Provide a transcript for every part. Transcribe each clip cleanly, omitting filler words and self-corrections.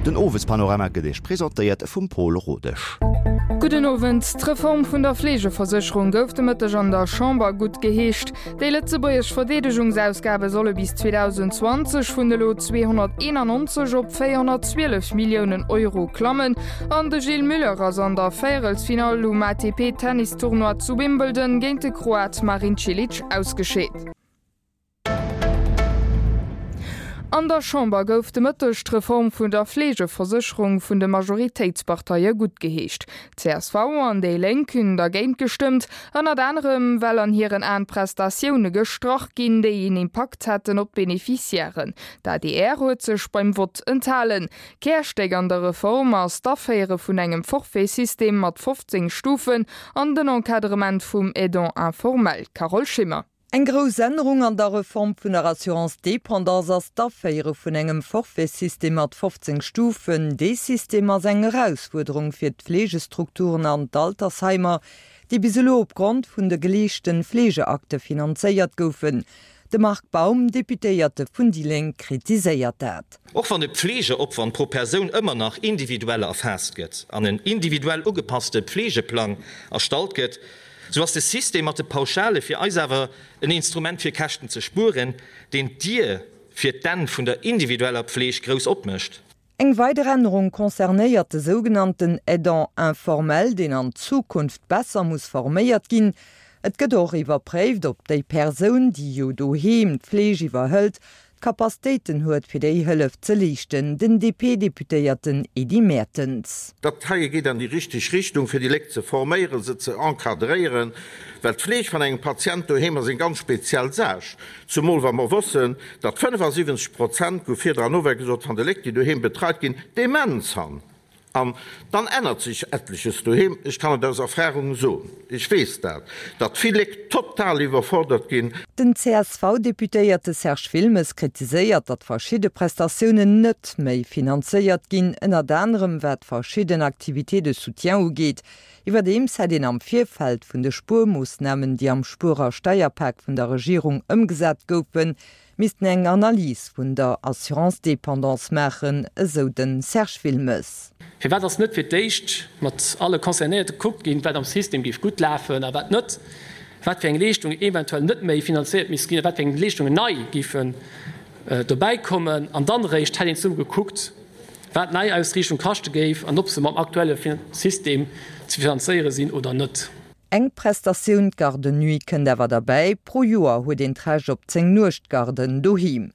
Den Owespanorama gëtt Iech presentéiert vum Pol Rodesch. Gudden Owend. D'Reform vun der Fleegeversécherung gouf de Mëtteg an der Chamber gutt geheescht. Déi lëtzebuergesch Verdeedegungsausgabe solle bis 2020 vun elo 291 op 412 Milliounen Euro klammen. An de Gilles Muller ass an der Véierelsfinall um ATP-Tennistournoi zu Wimbledon géint de Kroat Marin Cilic ausgescheet. An der Chamber gouf de Mëtteg d'Reform vun der Fleegeversécherung vun de Majoritéitsparteie guttgeheescht. Csv an déi Lénk hunn dergéint gestëmmt, ënnert anerem well an hiren Aen Prestatioune gestrach ginn, déi een Impakt hätten op d'Beneficiairen. D'adr huet sech beim Vott enthalen. Kärstéck an der Reform ass d'Aféiere vun engem Forfait-System mat 15 Stufen an den Encadrement vum Aidant informel. Carole Schimmer. Eng grouss Ännerung an der Reform vun der Assurance dépendance ass d'Aféiere vun engem Forfaitsystem mat 15 Stufen. Dee System ass eng Erausfuerderung fir d'Fleegestrukturen an d'Altersheimer, déi bis elo opgrond vun de geleeschten Fleegeakte finanzéiert goufen. De Marc Baum, Deputéierte vun déi Lénk, kritiséiert dat. Och wann de Pflegeopwand pro Persoun ëmmer nach individuell erfaasst gëtt an en individuell ugepasste Pflegeplang erstallt gëtt, Sou ass de System mat de Pauschale fir eis awer en Instrument fir Käschten ze spueren, deen d'Dier fir d'Enn vun der individueller Pfleg grouss opmécht. Eng weider Ännerung concernéiert de sougenannten Aidant informel, deen an Zukunft besser muss forméiert ginn. Et gëtt och iwwerpréift, ob déi Persoun, déi jo doheem d'Fleeg iwwerhëlt, d'Capacitéiten huet fir déi Hëllef ze leeschten, den DP-Deputéierten Edy Mertens. Dat heie geet an déi richteg Richtung, fir déi Léck ze forméieren, se ze encadréieren, well d'Fleeg van engem Patient doheem ass eng ganz speziell Saach, zumol wa mer wëssen, datt 75 Prozent, gouf virdran och gesot, van de Léck, déi doheem betreit ginn, Demenz han. An dann ännert sech etleches doheem. Ech kann et aus Erfahrung soen, ech weess dat, datt vill Léck total iwwerfordert ginn. Den CSV-Deputéierte Serge Wilmes kritiséiert, datt verschidde Prestatiounen net méi finanzéiert ginn, ënnert anerem wat verschidden Activités de soutien ugeet. Iwwerdeems hätt een am Virfeld vun de Spuermoossnamen, déi am Spuer a Steierpak vun der Regierung ëmgesat goufen, missten eng Analys vun der Assurance dépendance maachen, esou de Serge Wilmes. Firwat ass net fir d'éischt mat alle Concernéierte gekuckt ginn, wat am System géif gutt lafen a wat net, wat fir eng Leeschtungen eventuell net méi finanzéiert misste ginn a wat fir eng Leeschtungen nei géifen dobäi kommen? An dann eréischt hätt een zesumme gekuckt, wat d'Neiausriichtung kaschte géif an ob se mam aktuelle System ze finanzéiere sinn oder net. Eng Prestatioun, d'Garde nuit, kënnt awer derbäi. Pro Joer huet een d'Recht op 10 Nuechtgarden doheem.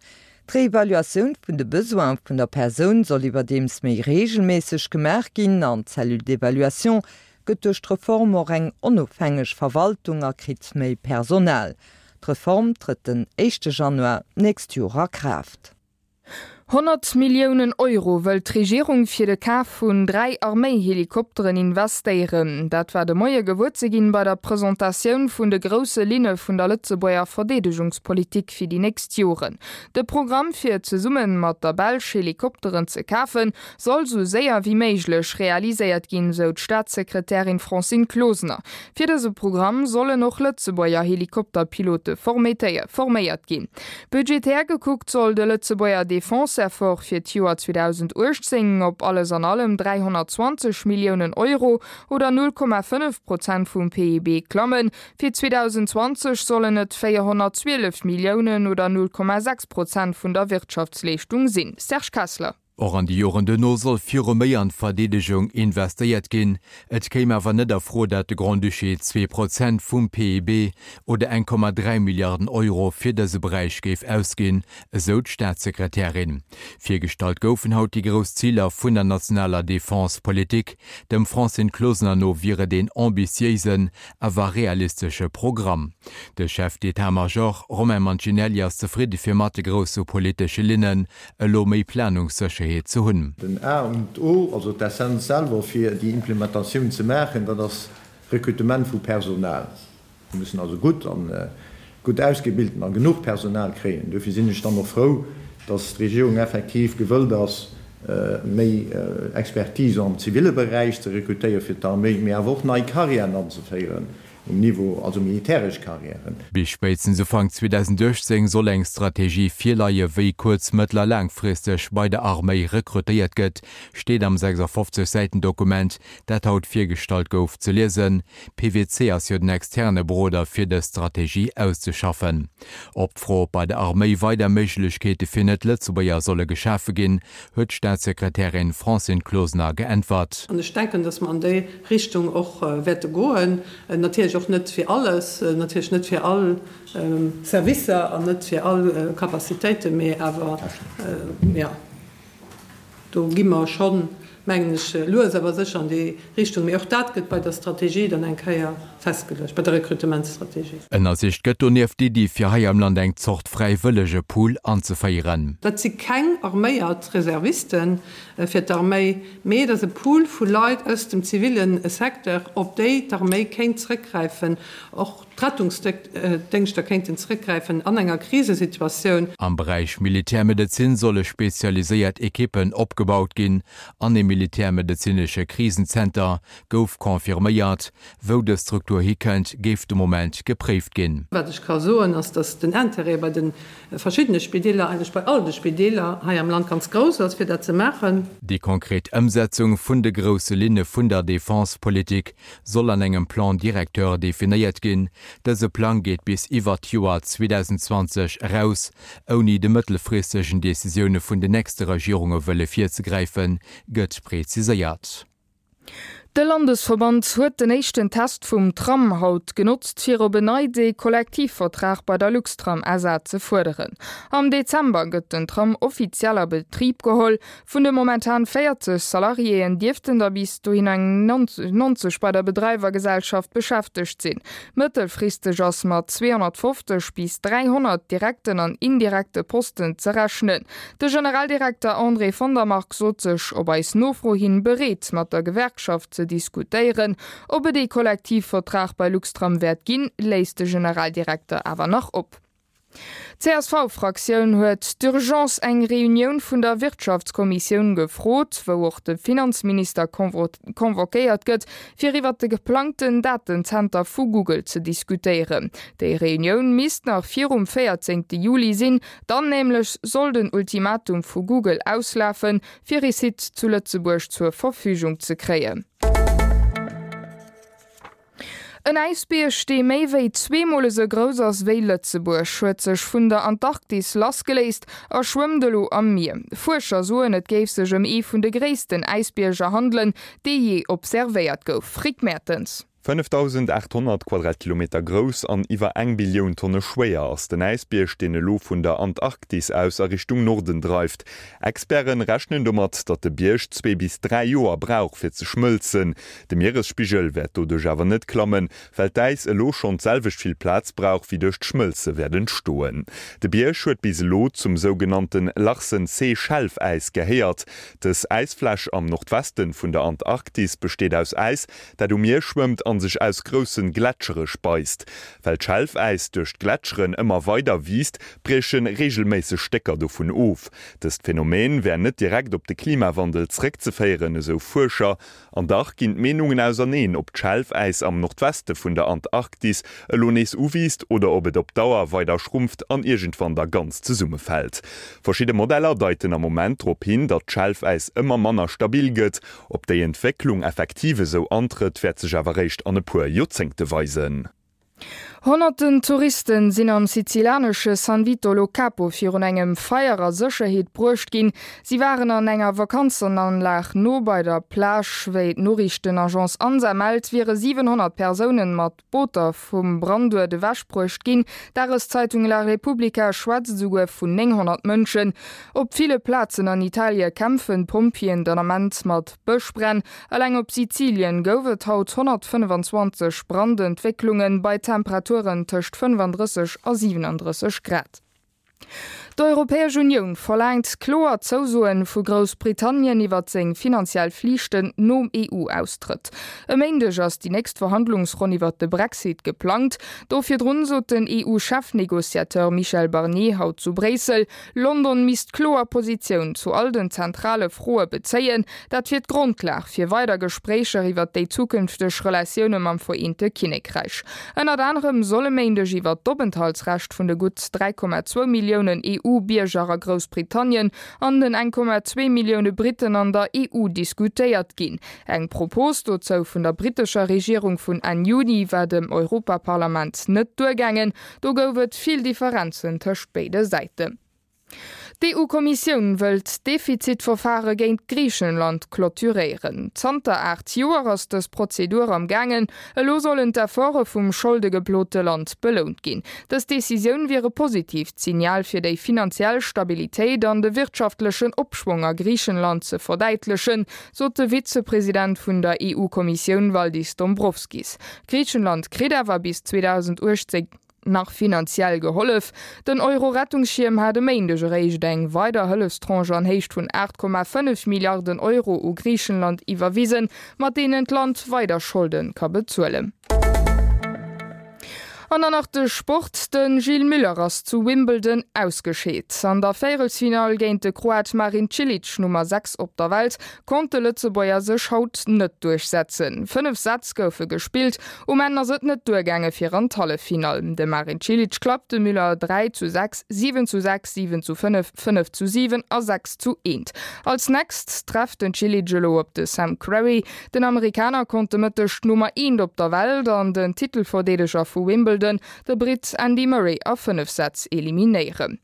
D'Reevaluatioun vun de Besoine vun der Persoun soll iwwerdeems méi reegelméisseg gemaach ginn an d'Cellule d'évaluation gëtt duerch d'Reform och eng onofhängeg Verwaltung a kritt méi Personal. D'Reform trëtt den éischte Januar d'nächst Joer a Kraaft. 100 Milliounen Euro wëllt d'Regierung fir de Kaf vun 3 Arméihelikopteren investéieren. Dat war de Moie gewuer ze ginn bei der Presentatioun vun de grousse Linne vun der Lëtzebuerger Verdeedegungspolitik fir déi nächst Joren. De Programm fir zesumme mat der Belsch Helikopteren ze kafen, soll sou séier wéi méiglech realiséiert ginn, sou d'Staatssekretärin Francine Closener. Fir dëse Programm sollen och Lëtzebuerger Helikopterpilote forméiert ginn. Budgetär gekuckt soll de Lëtzebuerger Defense-Effort fir d'Joer 2018 op alles an allem 320 Milliounen Euro oder 0,5 Prozent vum PIB klammen. Fir 2020 sollen et 412 Milliounen oder 0,6 Prozent vun der Wirtschaftsleeschtung sinn. Serge Kessler. Och an de Joren duerno soll viru méi an d'Verdeedegung investéiert ginn. Et kéim awer net a Fro, dat de Grand-Duché 2% vum PIB oder 1,3 Milliarden Euro fir dëse Beräich géif ausginn, esou d'Staatssekretärin. Virgestallt goufen haut déi grouss Ziler vun der nationaler Defense-Politik. Dem Francine Closener no wier et een ambitiéisen, awer realistesche Programm. De Chef d'Etat-Major Romain Mancinelli ass zefridde fir mat de grousse politesche Linnen elo méi Planungssécherheet ze hunn. Den A und O, also d'Essenz selwer fir déi Implementatioun ze maachen, dat ass Recrutement vu Personal. Mir mussen also gutt an gutt ausgebilten a genuch Personal kréien. Duerfir sinn ech dann och frou, dass d'Regierung effektiv gewëllt ass, méi Expertise am ziville Beräich ze rekrutéiere fir d'Arméi, mee awer och nei Carrièren anzeféieren. Um Niveau, also militäresch Carrièren. Bis spéitstens Ufank 2018 soll eng Strategie virleie wéi kuerz-, mëttel a laangfristeg bei der Arméi rekrutéiert gëtt, steet am 56 Säiten Dokument, dat haut virgestallt gouf, ze liesen. PWC ass jo den externe Beroder fir dës Strategie auszeschaffen. Op d'Fro, ob bei der Arméi weider Méiglechkeete fir Net-Lëtzebuerger solle geschafe ginn, huet d'Staatssekretärin Francine Closener geäntwert. An ech denken, datt mer an déi Richtung och wäerte goen. Natierlech och net fir alles, natierlech net fir all Servicer an net fir all Capacitéiten, mee awer, jo, do gi mer schonn, mengen ech, lues awer sécher an déi Richtung. Mee och dat gëtt bei der Strategie dann eng Kéier festgeluecht, bei der Rekrutementsstrategie. Ënnersicht gëtt donieft d'Iddi, fir hei am Land eng Zort Fräiwëllegepool anzeféieren. Dat si keng arméiert Reservisten fir d'Arméi, mee et ass e Pool vu Leit aus dem ziville Secteur, op déi d'Arméi kéint zrëckgräifen, och d'Rettungsdéngschter kéinten zrëckgräifen an enger Krisesituatioun. Am Beräich Militärmedezin solle spezialiséiert Ekippen opgebaut ginn an ee militärmedezinesche Krisenzenter gouf confirméiert. Wou dës Struktur hikënnt, géif de Moment gepréift ginn. Wat ech ka soen, ass, datt den Intérêt bei de verschiddene Spideeler, eigentlech bei all de Spideeler hei am Land ganz grouss ass, fir dat ze maachen. Déi konkret Ëmsetzung vun de grousse Linne vun der Defense-Politik soll an engem Plan directeur definéiert ginn. Dëse Plang geet bis iwwert d'Joer 2020 eraus. Ouni de mëttelfristegen Decisioune vun den nächste Regierunge wëlle virzegräifen, gëtt preziséiert. De Landesverband huet den éischten Test vum Tram haut genotzt, fir op en Neits ee Kollektivvertrag bei der Luxtram SA ze fuerderen. Am Dezember gëtt den Tram offiziell a Betrib geholl. Vun de momentan 40 Salariéen dierften der bis dohin eng 90 bei der Bedreiwergesellschaft beschäftegt sinn. Mëttelfristeg ass mat 250 bis 300 direkten an indirekte Posten ze rechnen. De Generaldirekter André von der Marck sot sech op eis Nofro hin bereet, mat der Gewerkschaft ze diskutéieren. Ob et ee Kollektivvertrag bei Luxtram wäert ginn, léisst de Generaldirekter awer nach op. D'CSV-Fraktioun huet d'urgence eng Reunioun vun der Wirtschaftskommissioun gefrot, wou och de Finanzminister convoquéiert gëtt, fir iwwert de geplangten Datenzenter vu Google ze diskutéieren. Déi Reunioun misst nach virum 14 Juli sinn, Dann nämlech soll den Ultimatum vu Google auslafen, fir ee Site zu Lëtzebuerg zur Verfügung ze kréien. En Äisbierg, dee méi wéi zweemol esou grouss ass wéi Lëtzebuerg, huet sech vun der Antarktis lassgeléist a schwëmmt elo am Mier. Fuerscher soen, et géif sech ëm ee vun de gréissten Äisbierger handelen, dee jee observéiert gouf. Rick Mertens. 5.800 Quadratkilometer grouss an iwwer eng Billioun Tonne schwéier ass den Äisbierg, deen elo vun der Antarktis aus a Richtung Norden dreift. Experte rechnen domat, datt de Bierg zwee bis 3 Joer brauch fir ze schmëlzen. De Mieresspigel wäert doduerch awer net klammen, well d'Äis elo schonn d'selwecht vill Plaz brauch, wéi duerch d'Schmëlze wäert entstoen. De Bierg huet bis elo zum sougenannte Larsen-C-Schelfäis gehéiert. Dës Äisfläch am Nordweste vun der Antarktis besteet aus Äis, dat um Mier schwëmmt an sech aus groussen Gletschere speist. Well d'Schelfäis duerch d'Gletscheren ëmmer weider wiisst, brieche reegelméisseg Stécker dovun of. Dëst Phänomen wär net direkt op de Klimawandel zréckzeféieren, esou Fuerscher. An dach ginn d'Meenungen auserneen, ob d'Schelfäis am Nordweste vun der Antarktis elo nees uwiisst oder ob et op Dauer weider schrumpft an iergendwann da ganz zesummefält. Verschidde Modeller deiten am Moment drop hin, datt d'Schelfäis ëmmer manner stabil gëtt Ob déi Entwécklung effektiv esou antrëtt, wäert sech awer réischt an e puer Joerzéngte weisen. Honnerten Touristen sinn am sizilianesche San Vito Lo Capo virun engem Feier a Sécherheet bruecht ginn. Si waren an enger Vakanzenanlag no bei der Plage. Wéi d'Noriichtenagence Ansa mellt, wiere 700 Persounen mat Booter vum Branduert ewechbruecht ginn. D'Dageszeitung La Repubblica schwätzt esouguer vun 900 Mënschen. Op ville Plazen an Italie kämpfen d'Pompjeeën den Ament mat Bëschbränn. Eleng op Sizilien gouf et haut 125 Brandentwécklungen bei Temperaturen tëscht 35 a 37 Grad. D'Europäesch Unioun verlaangt kloer Zousoen vu Groussbritannien iwwert seng finanziell Flichten nom EU-Austrëtt. E Méindeg ass déi nächst Verhandlungsronn iwwert de Brexit geplangt. Do virdrun sot den EU-Chefnegociateur Michel Barnier haut zu Bréissel, London misst kloer Positioun zu all den zentrale Froe bezéien. Dat wier d'Grondlag fir weider Gespréicher iwwert déi zukünfteg Relatioune mam Vereente Kinnekräich. Ënnert anerem soll e Méindeg iwwert d'Openthaltsrecht vun de gutt 3,2 Milliounen EU-Bierger a Groussbritannien an den 1,2 Millioune Britten an der EU diskutéiert ginn. Eng Propos dozou vun der brittescher Regierung vun Enn Juni war dem Europaparlament net duergaangen. Do gouf et vill Differenzen tëscht béide Säiten. D'EU-Kommissioun wëllt d'Defizitverfare géint Griichenland clôturéieren. Zanter 8 Joer ass dës Prozedur am gaangen. Elo sollen d'Efforte vum scholdegeplote Land belount ginn. Dës Decisioun wier e positiivt Signal fir déi finanziell Stabilitéit an de wirtschaftlechen Opschwong a Griichenland ze verdäitlechen, sot de Vizepresident vun der EU-Kommissioun Valdis Dombrovskis. Griichenland kritt awer bis 2018 nach finanziell gehollef. Den Euro-Rettungsschierm hat e Méindeg eréischt eng weider Hëllefstranche an Héicht vun 8,5 Milliarden Euro u Griichenland iwwerwisen, mat deenen d'Land weider Scholde ka bezuelen. An dann nach de Sport, De Gilles Müller ass zu Wimbledon ausgescheet. An der Véierelsfinall géint de Kroat Marin Cilic, Nummer 6 op der Welt, konnt de Lëtzebuerger sech haut net duerchsetzen. 5 Sätz goufe gespillt, um Enn ass et net duergaange fir an d'Halleffinall. De Marin Cilic klappt de Müller 3 zu 6, 7 zu 6, 7 zu 5, 5 zu 7 a 6 zu 1. Als nächst trefft den Cilic elo op de Sam Querrey. Den Amerikaner konnt de Mëtteg d'Nummer eent op der Welt an den Titelverdeedeger vu Wimbledon, de Britt Andy Murray a 5 Sätz eliminéieren.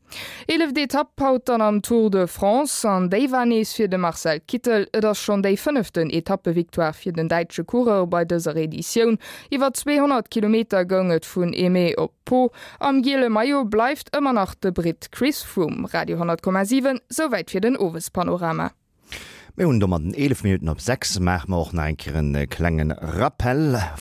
Eeleft Etapp haut dann am Tour de France an déi war nees fir de Marcel Kittel. Et ass schonn déi fënneften Etappevictoire fir den däitsche Coureur bei dëser Editioun. Iwwer 200 Kilometer goung et vun Eymet op Pau. Am giele Maillot bleift ëmmer nach de Britt Chris Froome. Radio 10,7, souwäit fir den Owespanorama. Mir hunn domat 11 Minutten op 6. Maache mer och nach eng Kéier e klenge Rappel.